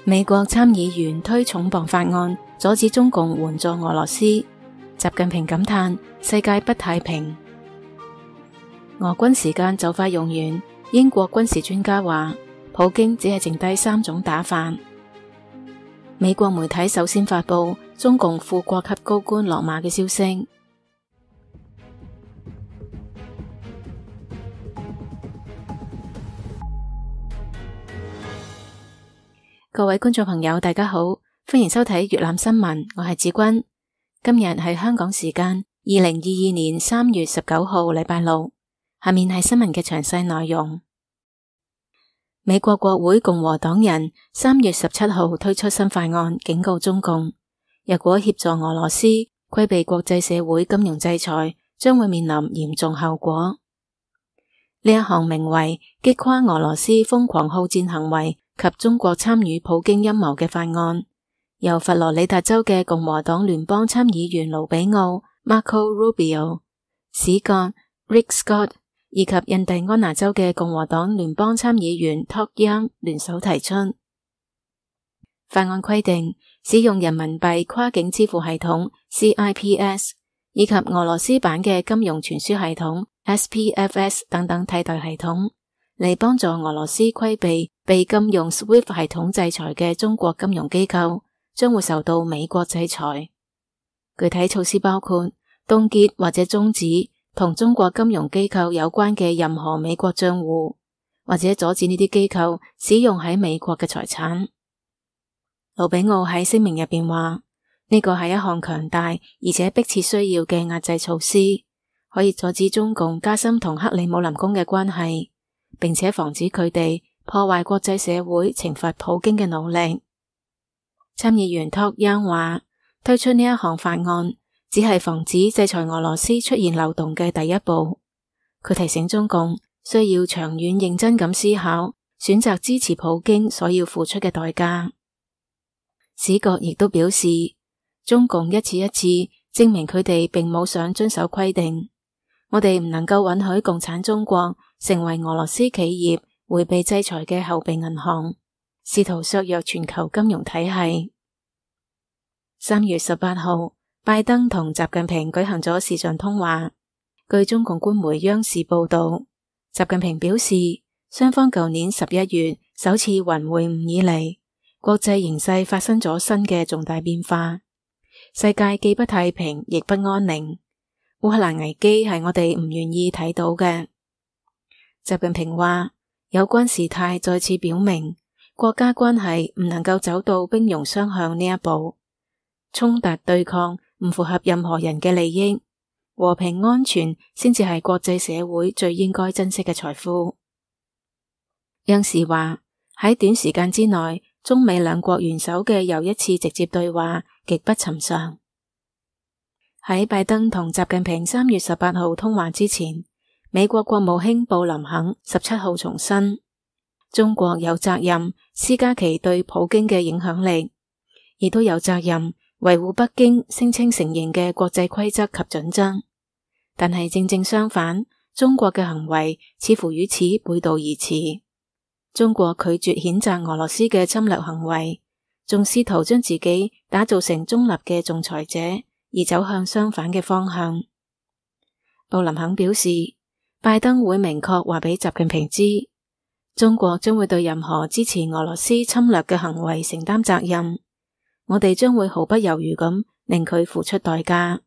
美國參議員推重磅法案，阻止中共援助俄羅斯。習近平感嘆世界不太平。俄軍時間就快用完，英國軍事專家話，普京只係剩低3種打法。美國媒體首先發佈中共副國級高官落馬嘅消息。各位觀眾朋友，大家好，歡迎收睇粵覽新聞，我係子君。今日係香港時間2022年3月19號禮拜六。下面係新聞嘅詳細內容。美國國會共和黨人3月17號推出新法案，警告中共，若果協助俄羅斯規避國際社會金融制裁，將會面臨嚴重後果。呢一項名為擊垮俄羅斯瘋狂好戰行為及中國參與普京陰謀嘅法案，由佛羅里達州嘅共和黨聯邦參議員盧比奧 Marco Rubio、史葛 Rick Scott 以及印第安納州嘅共和黨聯邦參議員 Todd Young 聯手提出。法案規定使用人民幣跨境支付系統 CIPS 以及俄羅斯版嘅金融傳輸系統 SPFS 等等替代系統，嚟幫助俄羅斯規避被禁用 SWIFT 系統制裁嘅中國金融機構，將會受到美國制裁。具體措施包括凍結或者終止同中國金融機構有關嘅任何美國賬戶，或者阻止呢啲機構使用喺美國嘅財產。盧比奧喺聲明入邊話，呢個係一項強大而且迫切需要嘅壓制措施，可以阻止中共加深同克里姆林宮嘅關係，並且防止佢哋破壞國際社會懲罰普京嘅努力。參議員托央話，推出呢一項法案只係防止制裁俄羅斯出現漏洞嘅第一步。佢提醒中共需要長遠認真咁思考，選擇支持普京所要付出嘅代價。史葛亦都表示，中共一次一次證明佢哋並冇想遵守規定。我哋唔能夠允許共產中國成為俄羅斯企業迴避制裁嘅後備銀行，試圖削弱全球金融體系。3月18號，拜登同習近平舉行咗視像通話。據中共官媒央視報道，習近平表示，雙方舊年11月首次雲會晤以嚟，國際形勢發生咗新嘅重大變化，世界既不太平亦不安寧。烏克蘭危機係我哋唔願意睇到嘅。習近平話，有關事態再次表明，國家關係唔能夠走到兵戎相向呢一步，衝突對抗唔符合任何人嘅利益，和平安全先至係國際社會最應該珍惜嘅財富。央視話，喺短時間之內，中美兩國元首嘅又一次直接對話極不尋常。喺拜登同習近平3月18號通話之前，美國國務卿布林肯17號重申，中國有責任施加其對普京嘅影響力，亦都有責任維護北京聲稱承認嘅國際規則及準則。但係正正相反，中國嘅行為似乎與此背道而馳。中國拒絕譴責俄羅斯嘅侵略行為，仲試圖將自己打造成中立嘅仲裁者，而走向相反嘅方向。布林肯表示，拜登會明確話俾習近平知，中國將會對任何支持俄羅斯侵略嘅行為承擔責任，我哋將會毫不猶豫咁令佢付出代價。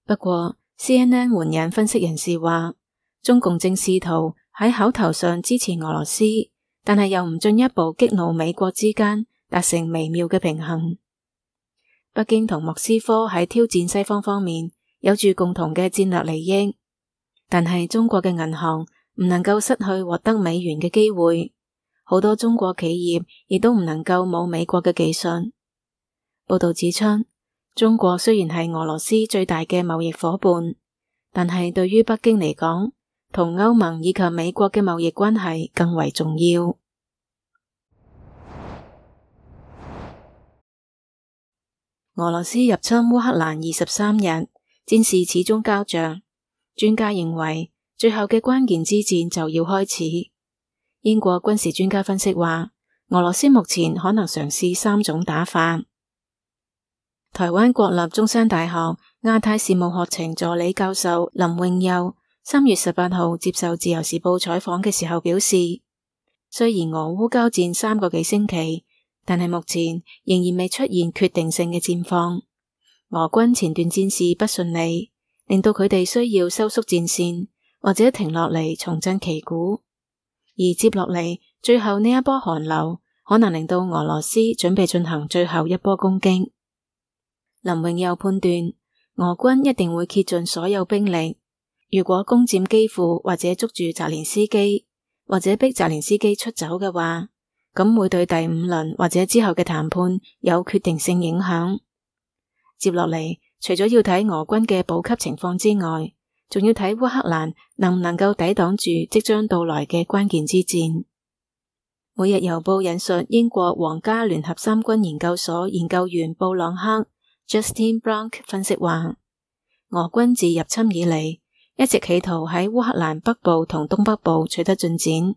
不過 CNN 援引分析人士話，中共正試圖喺口頭上支持俄羅斯，但係又唔進一步激怒美國之間達成微妙嘅平衡。北京同莫斯科喺挑戰西方方面有住共同嘅戰略利益，但係中國嘅銀行唔能夠失去獲得美元嘅機會，好多中國企業亦都唔能夠冇美國嘅技術。報道指出，中國雖然係俄羅斯最大嘅貿易夥伴，但係對於北京嚟講，同歐盟以及美國嘅貿易關係更為重要。俄羅斯入侵烏克蘭23日，戰事始終膠着。專家認為，最後嘅關鍵之戰就要開始。英國軍事專家分析話，俄羅斯目前可能嘗試3種打法。台灣國立中山大學亞太事務學程助理教授林穎佑3月18號接受自由時報採訪嘅時候表示，雖然俄烏交戰3個幾星期，但係目前仍然未出現決定性嘅戰況。俄軍前段戰事不順利，令到佢哋需要收縮戰線，或者停落嚟重振旗鼓。而接落嚟最後呢一波寒流，可能令到俄羅斯準備進行最後一波攻擊。林穎佑判斷，俄軍一定會竭盡所有兵力，如果攻佔基輔或者捉住澤連斯基，或者逼澤連斯基出走嘅話，咁會對第5輪或者之後嘅談判有決定性影響。接落嚟，除咗要睇俄軍嘅補給情況之外，仲要睇烏克蘭能唔能夠抵擋住即將到來嘅關鍵之戰。每日郵報引述英國皇家聯合三軍研究所研究員布朗克 Justin Bronk 分析話，俄軍自入侵以嚟，一直企圖喺烏克蘭北部同東北部取得進展，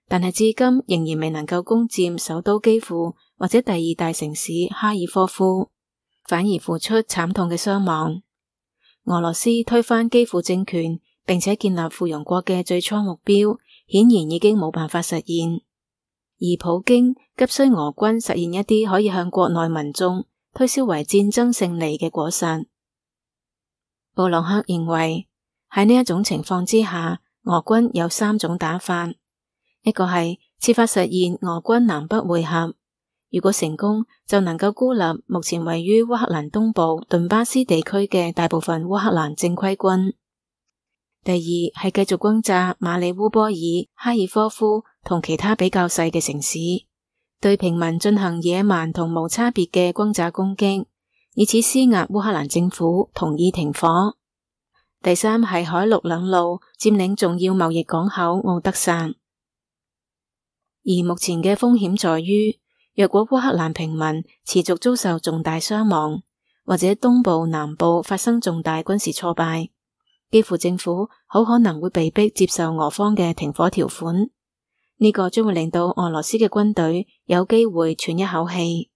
但係至今仍然未能夠攻佔首都基輔或者第2大城市哈爾科夫，反而付出慘痛嘅傷亡。俄羅斯推翻基輔政權並且建立附庸國嘅最初目標，顯然已經冇辦法實現，而普京急需俄軍實現一啲可以向國內民眾推銷為戰爭勝利嘅果實。布朗克認為喺呢一種情況之下，俄軍有3種打法，一個係設法實現俄軍南北會合，如果成功就能夠孤立目前位於烏克蘭東部頓巴斯地區嘅大部分烏克蘭正規軍。第二係繼續轟炸馬里烏波爾、哈爾科夫同其他比較細嘅城市，對平民進行野蠻同無差別嘅轟炸攻擊，以此施壓烏克蘭政府同意停火。第三係海陸兩路佔領重要貿易港口敖德薩。而目前嘅風險在於，若果烏克蘭平民持續遭受重大傷亡，或者東部、南部發生重大軍事挫敗，基輔政府好可能會被迫接受俄方嘅停火條款。呢個將會令到俄羅斯嘅軍隊有機會喘一口氣。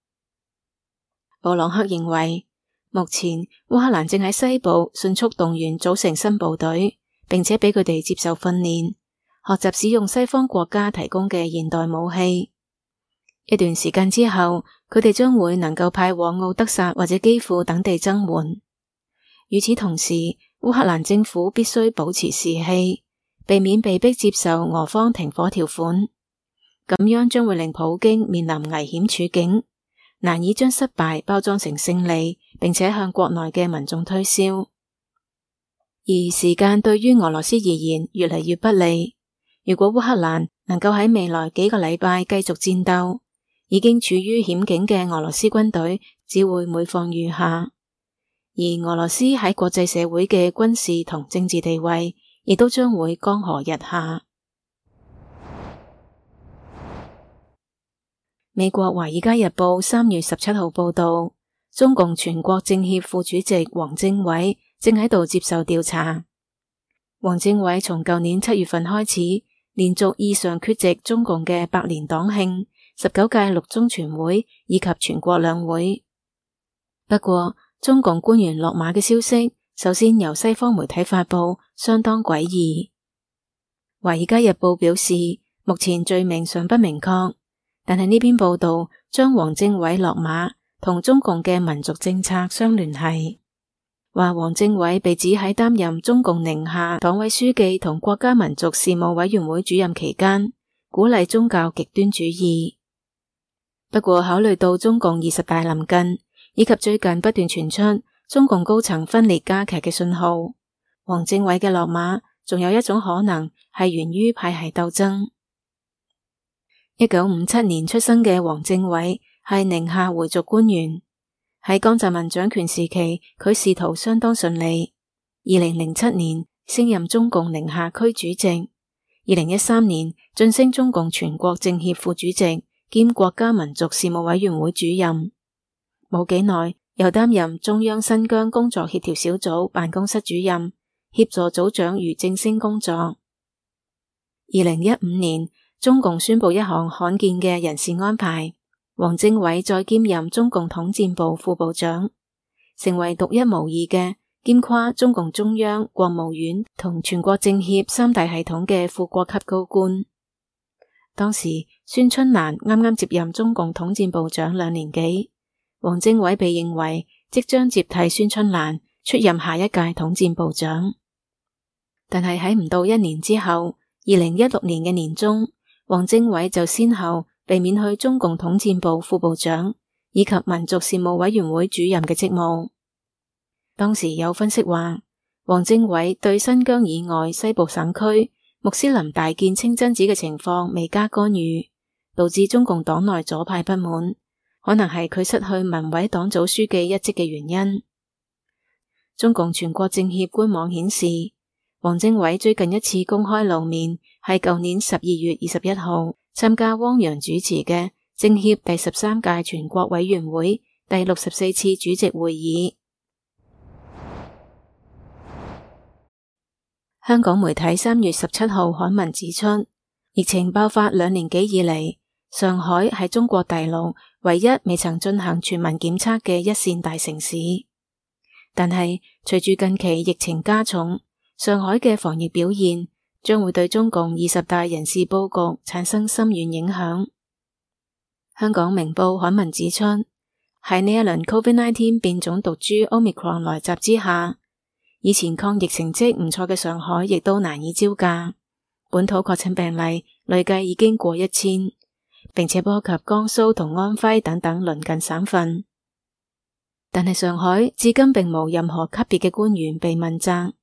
布朗克認為，目前烏克蘭正喺西部迅速動員組成新部隊，並且俾佢哋接受訓練，學習使用西方國家提供嘅現代武器。一段時間之後，佢哋將會能夠派往敖德薩或者基輔等地增援。與此同時，烏克蘭政府必須保持士氣，避免被迫接受俄方停火條款，咁樣將會令普京面臨危險處境，難以將失敗包裝成勝利，並且向國內嘅民眾推銷。而時間對於俄羅斯而言越嚟越不利，如果烏克蘭能夠喺未來幾個禮拜繼續戰鬥，已經處於險境嘅俄羅斯軍隊只會每況愈下，而俄羅斯喺國際社會嘅軍事同政治地位亦都將會江河日下。美國《華爾街日報》3月17號報道，中共全國政協副主席王政委正喺度接受調查。王政委從舊年7月份開始，連續異常缺席中共嘅百年黨慶、19屆六中全會以及全國兩會。不過，中共官員落馬嘅消息，首先由西方媒體發佈，相當詭異。《華爾街日報》表示，目前罪名尚不明確，但係呢篇報道將王政委落馬同中共嘅民族政策相聯繫，話王政委被指喺擔任中共寧夏黨委書記同國家民族事務委員會主任期間，鼓勵宗教極端主義。不過考慮到中共20大臨近，以及最近不斷傳出中共高層分裂加劇嘅信號，王政委嘅落馬仲有一種可能係源於派系鬥爭。1957年出生嘅王政委係寧夏回族官員，喺江澤民掌權時期，佢仕途相當順利。2007年升任中共寧夏區主席，2013年晉升中共全國政協副主席兼國家民族事務委員會主任，冇幾耐又擔任中央新疆工作協調小組辦公室主任，協助組長俞正聲工作。2015年中共宣布一項罕見嘅人事安排，王政委再兼任中共統戰部副部長，成為獨一無二嘅兼跨中共中央、國務院同全國政協三大系統嘅副國級高官。當時孫春蘭啱啱接任中共統戰部長2年幾，王政委被認為即將接替孫春蘭出任下一屆統戰部長。但係喺唔到1年之後，2016年嘅年中，王政委就先後被免去中共統戰部副部長以及民族事務委員會主任嘅職務。當時有分析話，王政委對新疆以外西部省區穆斯林大建清真寺嘅情況未加干預，導致中共黨內左派不滿，可能係佢失去文委黨組書記一職嘅原因。中共全國政協官網顯示，王政委最近一次公開露面係舊年12月21號參加汪洋主持嘅政協第13屆全國委員會第64次主席會議。香港媒體3月17號刊文指出，疫情爆發2年幾以嚟，上海係中國大陸唯一未曾進行全民檢測嘅一線大城市。但係隨住近期疫情加重，上海嘅防疫表現將會對中共20大人事佈局產生深遠影響。香港明報刊文指出，喺呢一輪 COVID-19 變種毒株 Omicron 來襲之下，以前抗疫成績唔錯嘅上海亦都難以招架，本土確診病例累計已經過1000，並且波及江蘇同安徽等等鄰近省份。但係上海至今並無任何級別嘅官員被問責。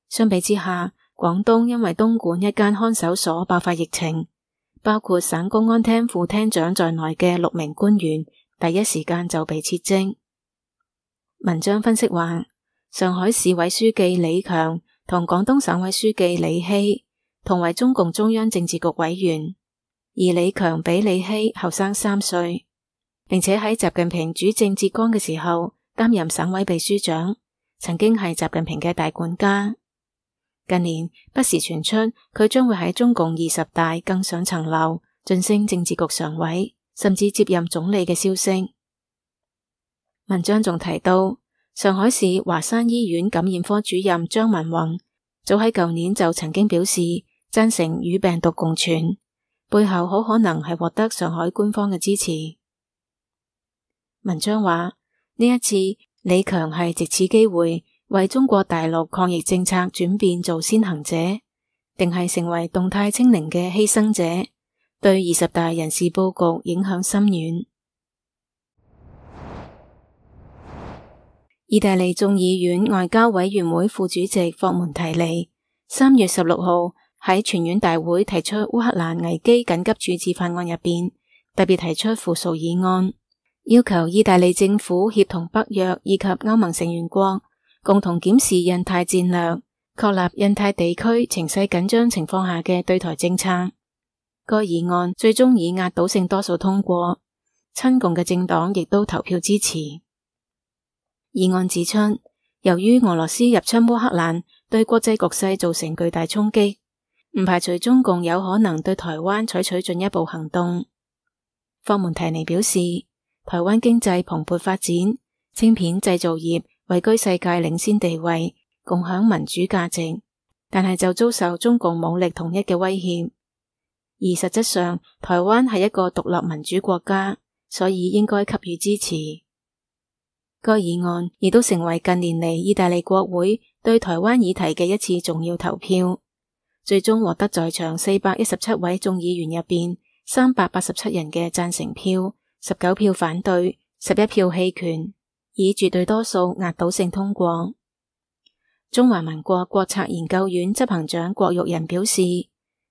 相比之下，廣東因為東莞一間看守所爆發疫情，包括省公安廳副廳長在內嘅6名官員第一時間就被撤職。文章分析話，上海市委書記李強同廣東省委書記李希同為中共中央政治局委員，而李強比李希後生3歲，並且喺習近平主政浙江嘅時候擔任省委秘書長，曾經係習近平嘅大管家。近年不時傳出佢將會喺中共20大更上層樓，晉升政治局常委，甚至接任總理嘅消息。文章仲提到，上海市華山醫院感染科主任張文宏早喺舊年就曾經表示贊成與病毒共存，背後好可能係獲得上海官方嘅支持。文章話，呢一次李強係藉此機會為中國大陸抗疫政策轉變做先行者，定係成為動態清零嘅犧牲者，對20大人事佈局影響深遠。意大利眾議院外交委員會副主席霍門提尼3月16號喺全院大會提出烏克蘭危機緊急處置法案入邊，特別提出附屬議案，要求意大利政府協同北約以及歐盟成員國共同檢視印太戰略，確立印太地區情勢緊張情況下嘅對台政策。該議案最終以壓倒性多數通過，親共嘅政黨亦都投票支持。議案指出，由於俄羅斯入侵烏克蘭對國際局勢造成巨大衝擊，唔排除中共有可能對台灣採取進一步行動。霍門提尼表示，台灣經濟蓬勃發展，晶片製造業位居世界領先地位，共享民主價值，但係就遭受中共武力統一嘅威脅。而實質上，台灣係一個獨立民主國家，所以應該給予支持。該議案亦都成為近年嚟意大利國會對台灣議題嘅一次重要投票，最終獲得在場417位眾議員入邊387人嘅贊成票，19票反對，11票棄權，以絕對多數壓倒性通過。中華民國國策研究院執行長郭玉仁表示，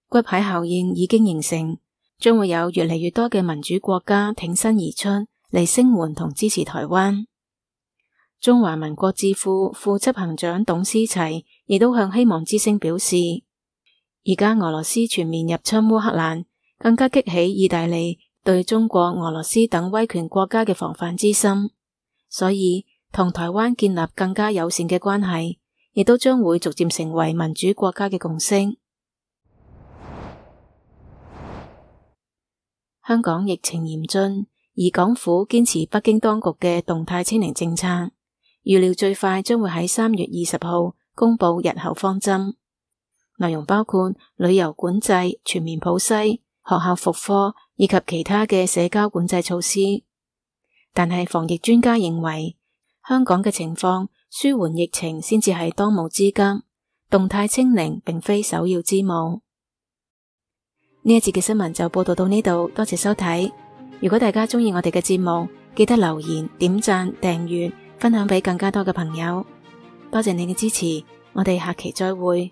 骨牌效應已經形成，將會有越嚟越多嘅民主國家挺身而出嚟聲援同支持台灣。中華民國智庫副執行長董思齊亦都向希望之聲表示，而家俄羅斯全面入侵烏克蘭，更加激起意大利對中國、俄羅斯等威權國家嘅防範之心，所以同台灣建立更加友善嘅關係，亦都將會逐漸成為民主國家嘅共識。香港疫情嚴峻，而港府堅持北京當局嘅動態清零政策，預料最快將會喺3月20號公布日後方針。內容包括旅遊管制、全面普篩、學校復課以及其他嘅社交管制措施。但係防疫專家認為，香港嘅情況舒緩疫情先至係當務之急，動態清零並非首要之務。呢一節嘅新聞就報道到呢度，多謝收睇。如果大家鍾意我哋嘅節目，記得留言、點讚、訂閱、分享俾更加多嘅朋友。多謝你嘅支持，我哋下期再會。